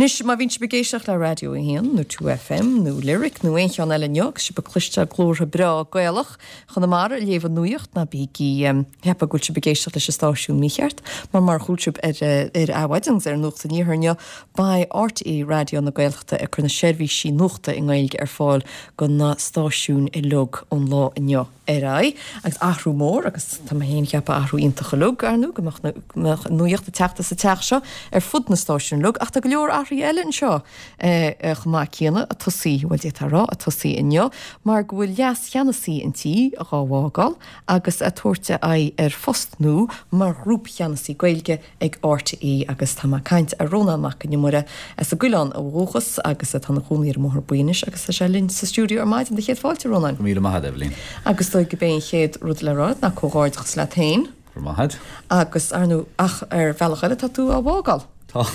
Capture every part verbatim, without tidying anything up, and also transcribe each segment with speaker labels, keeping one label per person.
Speaker 1: Anois, má bhíonn sibh ag éisteacht le Raidió a haon nó Two FM nó Lyric nó aon cheann eile inniu agus sibh ag cloisteáil glórtha breá Gaelach Chonamara ag léamh an nuacht ná bígí ag ceapadh go bhfuil sibh ag éisteacht leis an stáisiún mícheart mar mar a chuala sibh ar ar Adhmhaidin agus ar Nuacht an Iarthair inniu beidh RTÉ Raidió na Gaeltachta ag cur na seirbhísí nuachta i nGaeilge ar fáil go na stáisiúin uilig ón lá inniu ar aghaidh agus athrú mór agus tá mé féin ag ceapadh athrú iontach uilig ar ndóigh go mbeadh nuacht ag teacht as an teach seo ar fud na stáisiún uilig ach tá go leor athruithe eile anseo chomh maith céanna ag tosaí bhuel d'fhéadfá a rá ag tosaí inniu mar go bhfuil leas-cheannasaí an tí dhá bhfágáil agus ag tabhairt a aghaidh ar phost nua mar ghrúpcheannasaí Gaeilge ag RTÉ agus tá mé ag caint ar Rónán Mac Con Iomaire as an gCoileán ó dhúchas agus atá ina chónaí ar an mBóthar Buí anois agus tá sé linn sa stiúideo ar maidin do chéad fáilte Rónán.
Speaker 2: Go míle maith agat Eibhlín.
Speaker 1: Agus dóigh go bé an chéad rud le rá ná comhghairdeachas leat féin.
Speaker 2: Go raibh maith agat.
Speaker 1: Agus ar ndóigh ach ar bhealach eile tá tú á bhfágáil.
Speaker 2: Tá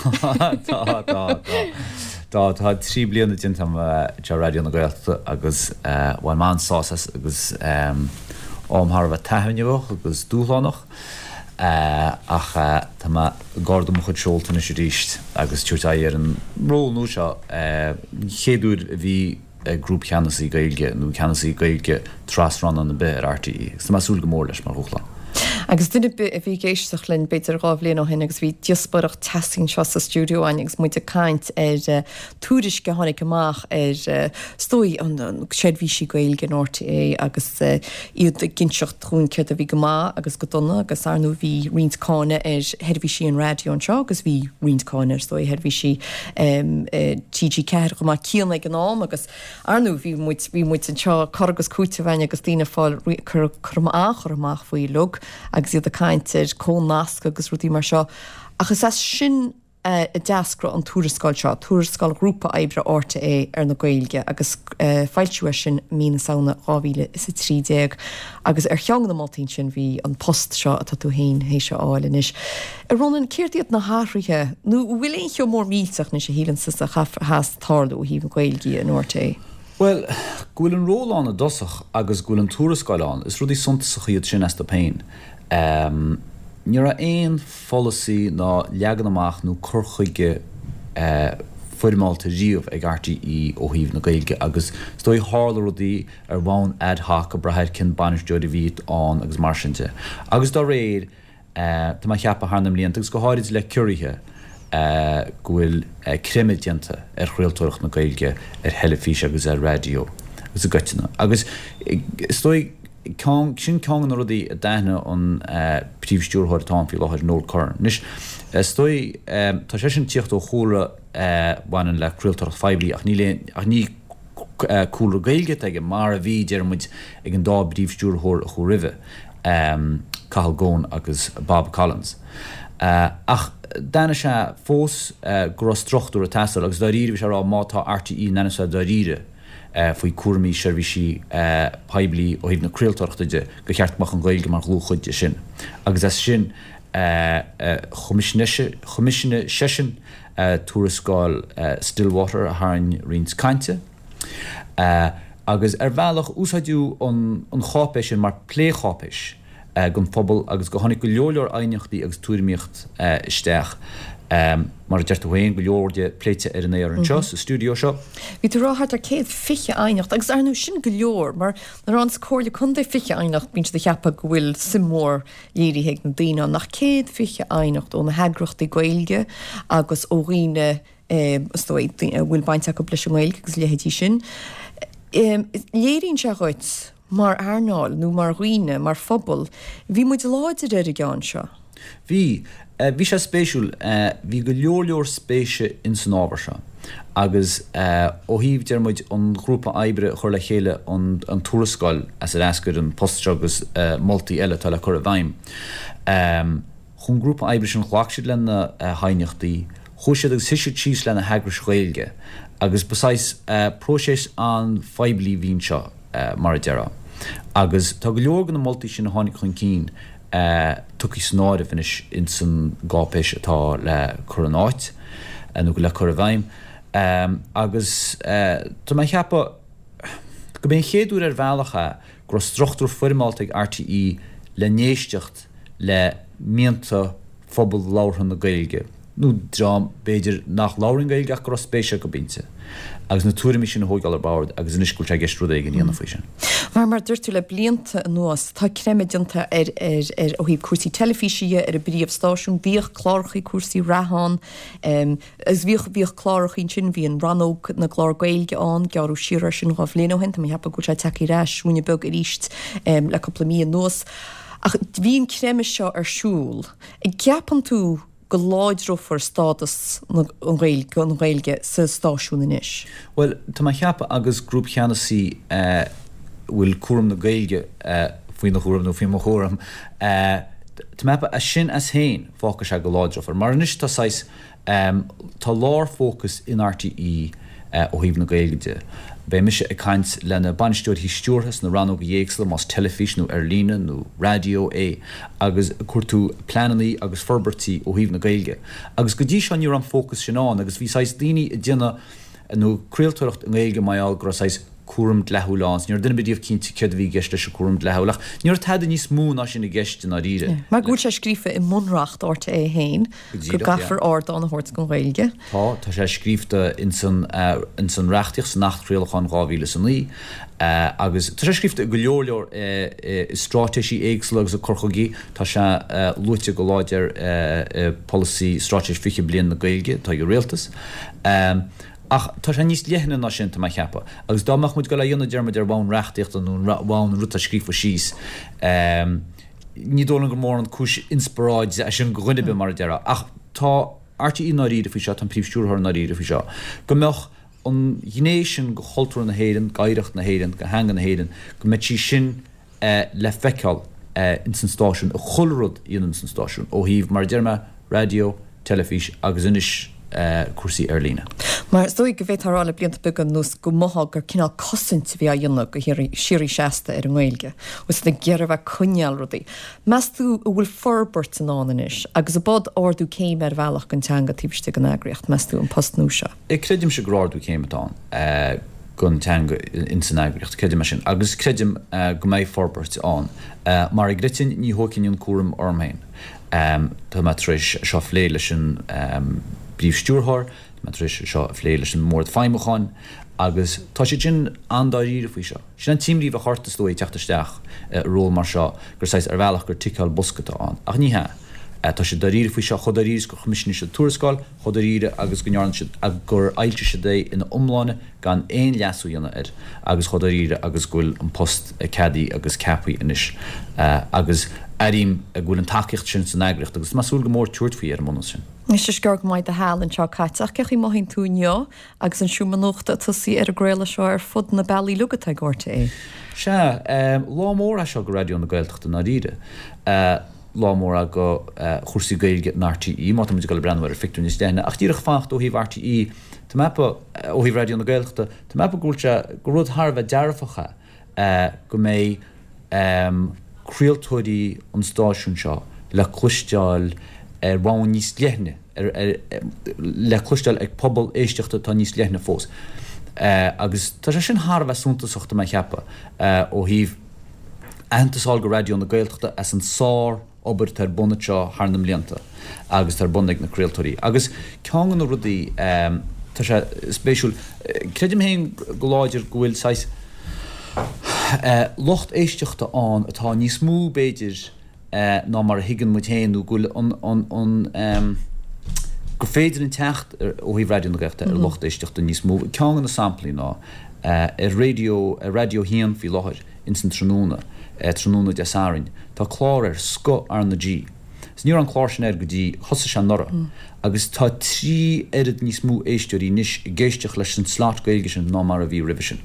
Speaker 2: tá tá tá tá trí bliana déanta agam anseo Raidió na Gaeltachta agus bhain mé an-sásamh as agus am thar a bheith taitneamhach agus dúshlánach ach tá mé ag ardú mo chuid seolta anois arís agus tabhairt aghaidh ar an ról nua seo an chéad uair a bhí grúpcheannasaí Gaeilge nó ceannasaí Gaeilge tras-rannán ar bith ar RTÉ agus tá mé ag súil go mór leis mar dhúshlán.
Speaker 1: Agus duine ar bith a bhí ag éisteacht linn b'fhéidir dhá bhliain ó shin agus bhí díospóireacht teasaí anseo sa stiúideo againn agus muid ag caint ar tuairisc a tháinig amach ar is dóigh an seirbhísí Gaeilge in RTÉ agus iad ag inseacht dúinn céard a bhí go maith agus go dona agus ar ndóigh bhí roinnt cáineadh ar sheirbhísí an raidió anseo agus bhí roinnt cáineadh ar is dóigh sheirbhísí TG Ceathair chomh maith céanna ag an am agus ar ndóigh bhí muid bhí muid anseo cur agus cúiteamh againn agus daoine fáil cur cur an-chur amach faoi uilig agus iad ag caint ar comhnasc agus rudaí mar seo. Ach is as sin a d'eascraigh an tuarascáil seo, tuarascáil ghrúpa oibre RTÉ ar na Gaeilge agus foilsíodh é sin mí na Samhna dhá mhíle is a trí déag agus ar cheann de na moltaí sin bhí an post seo atá tú féin théis a fháil anois. A Rónáin, céard iad na hathruithe nó an bhfuil aon cheo mór millteach anois a shíleann tusa a chaithfeas tarlú ó thaobh na Gaeilge in RTÉ?
Speaker 2: Bhuel, go bhfuil an ról ann i dtosach agus go bhfuil an tuarascáil ann, is rudaí suntasacha iad sin astu féin. Ní raibh aon pholasaí ná leagan amach nó cur chuige foirmeálta riamh ag RTÉ ó thaobh na Gaeilge agus is dóigh tharla rudaí ar bhonn ad hoc ag brath ar cén bainisteoir a bhí ann agus mar sin de. Agus dá réir, Tá mé ag ceapadh thar na mblianta, agus go háirid le ciorruithe, go bhfuil creimeadh déanta ar chraoltóireacht na Gaeilge ar theilifís agus ar raidió agus i gcoitinne. Agus is dóigh, ceann, sin ceann de na rudaí a d'aithnigh an príomhstiúrthóir atá ann faoi láthair, Noel Curran. Anois, is dóigh, tá seisean ag tíocht ó chúlra a bhaineann le craoltóireacht phoiblí ach níl aon, ach ní cúlra Gaeilge atá aige mar a bhí, deir muid, ag an dá bpríomhstiúrthóir a chuaigh roimhe. Cathal Goan agus Bob Collins. Ach d'aithnigh sé fós go raibh struchtúr ag teastáil agus dáiríre bhí sé ag rá má tá RTÉ in ainm is a bheith dáiríre faoi cúraimí seirbhísí poiblí ó thaobh na craoltóireachta de gur cheart go mbeadh an Ghaeilge mar dhlúthchuid de sin. Agus as sin choimisiúnaigh seisean tuarascáil Stillwater a tharraing roinnt cainte. Agus ar bhealach, úsáideadh an cháipéis sin mar plécháipéis don phobal agus go tháinig go leor leor aighneachtaí agus tuairimíocht isteach, mar a deir tú féin, go leor de pléite ar an aer anseo sa stiúideo seo.
Speaker 1: Bhí tú ag rá thart ar céad fiche aighneacht agus ar ndóigh sin go leor mar nuair a fhaigheanns Comhairle Contae fiche aighneacht bíonn siad ag ceapadh go bhfuil suim mhór léirithe ag na daoine ann ach céad fiche aighneacht ó na heagraíochtaí Gaeilge agus ó dhaoine is dóigh, a bhfuil baint acu leis an nGaeilge agus a leithéidí sin. Léiríonn sé dhuit, mar earnáil nó mar dhaoine, mar phobal, bhí muid láidir ar an gceann seo.
Speaker 2: Bhí. Bhí sé spéisiúil. Bhí go leor leor spéise ins an ábhar seo agus ó thaobh, deir muid, an ghrúpa oibre a chuir le chéile an tuarascáil as ar eascair an post seo agus moltaí eile atá le cur i bhfeidhm, Chuaigh an grúpa oibre sin, ghlac siad le na haighneachtaí, chuaigh siad agus shuigh siad síos le na heagrais Ghaeilge agus ba saghas próiseas an-phoiblí a bhí anseo, mar a déarfá. Agus tá go leor de na moltaí sin a tháinig chun cinn tugtha san áireamh anois ins an gcáipéis atá le cur in áit, nó le cur i bhfeidhm. Agus tá mé ag ceapadh go b'é an chéad uair ar bhealach é go raibh struchtúr foirmeálta ag RTÉ le n-éisteacht le mianta phobal labhartha na Gaeilge nó dream b'fhéidir nach labhraíonn Gaeilge ach go raibh spéis acu inti, agus na tuairimí sin a thógáil ar bord agus anois go bhfuil sé i gceist rud éigin a dhéanamh faoi sin.
Speaker 1: Mar, mar a dúirt tú le blianta anuas, tá creimeadh déanta ar, ar, ar, ó thaobh cúrsaí teilifíse dhe ar an bpríomhstáisiún, bhíodh clárachaí cúrsaí reatha ann, agus bhíodh, bhíodh clárachaí ansin, bhí an rannóg na gclár Gaeilge ann, gearradh siar air sin dhá bhliain ó shin, tá mé ag ceapadh go bhfuil sé tagtha ar ais ruainne beag arís le cúpla mí anuas. Ach bhí an creimeadh seo ar siúl. An gceapann tú go láidreofar stádas na Gaeilge, an Ghaeilge sa stáisiún anois?
Speaker 2: Bhuel, tá mé a cheapadh agus grúpcheannasaí a bhfuil cúram na Gaeilge faoina chúram nó faoi mo chúram, tá mé a cheapadh sin as féin fágfaidh sé go láidreofar. Mar anois tá saghas Tá lárfhócas in RTÉ ó thaobh na Gaeilge de. Beidh mise ag caint le na bainisteoirí stiúrtha sna rannóga éagsúla, más teilifís nó ar líne nó raidió é, agus ag cuartú pleananna agus forbairtí ó thaobh na Gaeilge. Agus go dtí seo ní raibh an fócas sin ann agus bhí saghas daoine ag déanamh nó craoltóireacht i nGaeilge mar gheall go raibh saghas cúram dleathúil ann. Ní raibh duine ar bith díobh cinnte céard a bhí i gceist leis an cúram dleathúil ach ní raibh tada níos mó ná sin i gceist i ndáiríre.
Speaker 1: Mar go bhfuil sé scríofa i mbunreacht RTÉ féin go gcaithfear ardán a thabhairt don Ghaeilge.
Speaker 2: Tá, tá sé scríofa ins an, ins an reachtaíocht, san Acht Craolacháin dhá mhíle is a naoi agus tá sé scríofa i go leor leor i straitéisí éagsúla agus i cur chuigí. Tá sé luaite go láidir i Polasaí Straitéis Fiche Bliain na Gaeilge atá ag an Rialtas. Ach tá sé níos leithne ná sin, tá mé a cheapadh. Agus dá mbeadh muid ag dul a dhéanamh dearmad ar bhonn reachtaíochta nó ar bhonn an rud atá scríofa síos, ní dóigh liom gur mór an cúis inspioráide é sin do dhuine ar bith, mar a déarfá. Ach tá RTÉ i ndáiríre faoi seo, tá an Príomh-Stiúrthóir i ndáiríre faoi seo, go mbeadh an ghné sin de chultúr na hÉireann, d'oidhreacht na hÉireann, de theanga na hÉireann, go mbeadh sí sin le feiceáil ins an stáisiún, i chuile rud a dhéanann an stáisiún, ó thaobh, mar a deir mé, raidió, teilifís agus anois cúrsaí ar líne.
Speaker 1: Mar is dóigh go bhféadfá a rá le blianta beaga anuas go mothófá gur cineál cosaint a bhí á dhéanamh go síoraí seasta ar an nGaeilge, agus iad ag iarraidh a bheith ag coinneáil rudaí. Meas tú an bhfuil forbairt i ndán anois agus ab ea ardú céime ar bhealach don teanga taobh istigh den eagraíocht, meas tú, an post nua seo?
Speaker 2: Creidimse gur ardú céime atá ann don teanga ins an eagraíocht, creidim é sin agus creidim go mbeidh forbairt ann. Mar i gcoitinne ní thógfainn an cúram orm féin. Tá mé tar éis seo a phlé leis an bPríomh-Stiúrthóir, tá mé tar éis seo a phlé leis an mBord Feidhmiúcháin agus tá siad sin an-dáiríre faoi seo. Sin an t-imní a bheadh ort, is dóigh, ag teacht isteach i ról mar seo, gur saghas, ar bhealach, gur ticeáil bosca atá ann. Ach ní hea. Tá siad dáiríre faoi seo, chomh dáiríre is gur choimisiúnaigh siad tuarascáil, chomh dáiríre agus go ndearna siad, gur fhoilsigh siad é ina iomláine gan aon leasú a dhéanamh air agus chomh dáiríre agus go bhfuil an post ceadaithe agus ceaptha anois agus airím go bhfuil an tacaíocht sin san eagraíocht agus tá mé ag súil go mór tabhairt faoi ar an mbunús sin.
Speaker 1: Anois is gearr go mbeidh do sheal anseo caite ach cén chaoi a mothaíonn tú inniu agus an Seomra Nuachta ag tosaí ar an gcraoladh seo ar fud na bealaí uilig atá ag RTÉ?
Speaker 2: Sea, lá mór é seo do Raidió na Gaeltachta i ndáiríre. Lá mór é do chúrsaí Gaeilge in RTÉ, má tá muid ag dul ag breathnú ar an phictiúr níos leithne. Ach díreach fanacht ó thaobh RTÉ, tá mé ag ceapadh, ó thaobh Raidió na Gaeltachta, tá mé ag ceapadh go bhfuil sé, gur rud thar a bheith dearfach é go mbeidh craoltóirí an stáisiúin seo le cloisteáil ar bhonn níos leithne, le cloisteáil ag pobal éisteachta atá níos leithne fós. Agus tá sé sin thar a bheith suntasach, tá mé ag ceapadh, ó thaobh. Aitheantas a fháil do Raidió na Gaeltachta as an sár obair atá ar bun anseo thar na mblianta agus atá ar bun ag na craoltóirí. Agus ceann de na rudaí tá sé spéisiúil, creidim féin go láidir go bhfuil saghas lucht éisteachta ann atá níos mó b'fhéidir ná mar a thuigeann muid féin nó go bhfuil an an gur féidir linn teacht ó thaobh Raidió na Gaeltachta ar lucht éisteachta níos mó. Ceann de na samplaí ná ar raidió ar Raidió a haon faoi láthair ins an tráthnóna, tráthnóna Dé Sathairn, tá clár ar Scoth R na G. Is ní raibh an clár sin air go dtí thosaigh sé anuraidh agus tá trí oiread níos mó éisteoirí anois ag éisteacht leis an slot Gaeilge sin ná mar a bhí roimhe sin.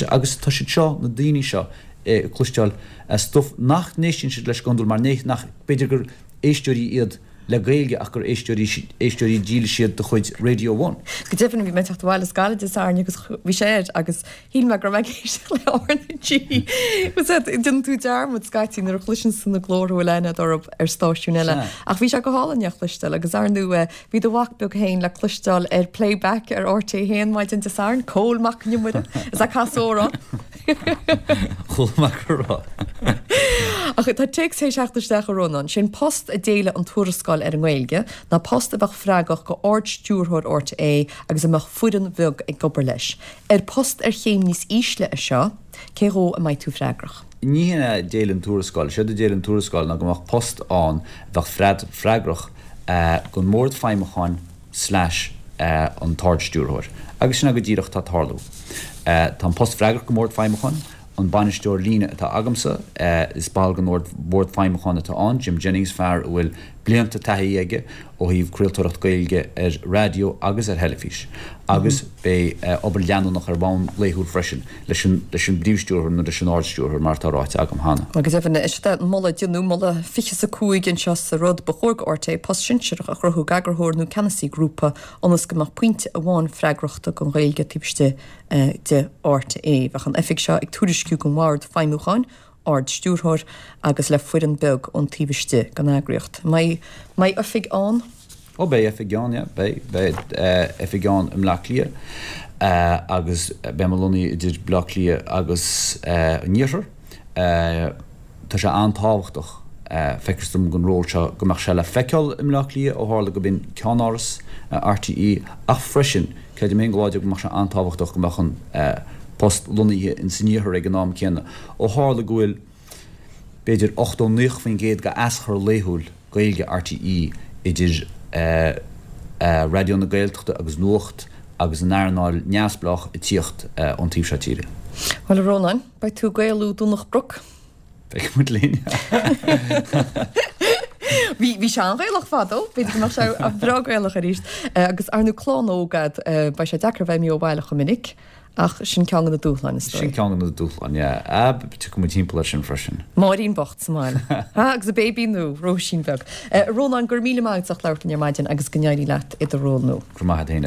Speaker 2: Agus tá siad seo, na daoine seo, ag cloisteáil stuif nach n-éisteann siad leis go hiondúil mar nach, b'fhéidir gur éisteoirí iad le Gaeilge ach gur éisteoirí éisteoirí dílis iad de chuid Radio One.
Speaker 1: Go deimhin bhí mé ag teacht abhaile as Gaillimh Dé Sathairn agus bhí sé air agus shíl mé go raibh mé ag éisteacht le R na G. Déanann tú dearmad scaití nuair a chloiseann tú na glórtha a bhfuil aithne agat orthu ar stáisiún eile. Ach bhí sé go hálainn é a chloisteáil agus ar ndóigh bhí do mhac beag féin le cloisteáil ar Playback ar RTÉ a haon maidin Dé Sathairn, Cól Mac Con Iomaire, is ag casadh amhrán.
Speaker 2: Chuala mé go raibh.
Speaker 1: Ach tá téacs théis theacht isteach a Rónáin. Sé'n post a d'éiligh an tuarascáil ar an nGaeilge ná post a bheadh freagrach go Ard-Stiúrthóir RTÉ agus a mbeadh foireann bheag ag obair leis. Ar post ar chéim níos ísle é seo, cé dhó a mbeidh tú freagrach?
Speaker 2: Ní hin a d'éiligh an tuarascáil. Séard a d'éiligh an tuarascáil ná go mbeadh post ann a bheadh freagrach don mBord Feidhmiúcháin slash an tArd-Stiúrthóir. Agus sin é go díreach atá ag tarlú. Tá an post freagrach don mBord Feidhmiúcháin. An bainisteoir líne atá agamsa, is ball den Bhord Feidhmiúcháin atá ann, Jim Jennings, fear a bhfuil blianta taithí aige ó thaobh craoltóireacht Gaeilge ar raidió agus ar theilifís, agus beidh obair leanúnach ar bhonn laethúil freisin leis an leis an bPríomh-Stiúrthóir nó leis an Ard-Stiúrthóir, mar atá ráite agam cheana.
Speaker 1: Go deimhin, is é moladh a deineadh, moladh fiche is a cúig anseo sa rud, ba chóir go RTÉ post sinsearach a chruthú d'eagarthóir nó ceannasaí grúpa ionas go mbeadh pointe amháin freagrachta don Ghaeilge taobh istigh de RTÉ. Bheadh an oifig seo ag tuairisciú don Bhord Feidhmiúcháin, Ard-Stiúrthóir, agus le foireann beag ón taobh istigh den eagraíocht. An mbeidh oifig ann?
Speaker 2: Ó beidh oifig ann, yeah. Beidh, beidh oifig ann i mBleá Cliath agus beidh mé lonnaithe idir Bleá Cliath agus an Iarthar. Tá sé an-tábhachtach, feictear dom, don ról seo go mbeadh sé le feiceáil i mBleá Cliath ó tharla gurb in ceannáras RTÉ ach freisin, creidim féin go láidir go mbeadh sé an-tábhachtach go mbeadh an post lonnaithe ins an iarthar ag an am céanna ó tharla go bhfuil b'fhéidir ochtó, naocha faoin gcéad de aschur laethúil Gaeilge RTÉ idir Raidió na Gaeltachta agus Nuacht agus an earnáil neamhspleách ag tíocht ón taobh seo tíre.
Speaker 1: Bhuel, a Rónáin, beidh tú ag Gaelú Domhnach Broc.
Speaker 2: Beidh muid linn.
Speaker 1: Bhí bhí sé an-Ghaelach fadó, b'fhéidir go mbeadh sé breá Gaelach arís. Agus ar ndóigh clann óg agat, beidh sé deacair bheith imithe ó bhaile chomh minic, ach sin ceann de na dúshláin is
Speaker 2: dóigh. Sin ceann de na dúshláin, yeah. Ah, tiocfaidh muid timpeall air sin freisin.
Speaker 1: Máirín bocht sa mbaile. Ha, agus a béibí nua, Róisín bheag. A Rónáin, go raibh míle maith agat as ucht labhairt linn ar maidin agus go n-éirí leat i do ról nua.
Speaker 2: Go raibh maith agat féin.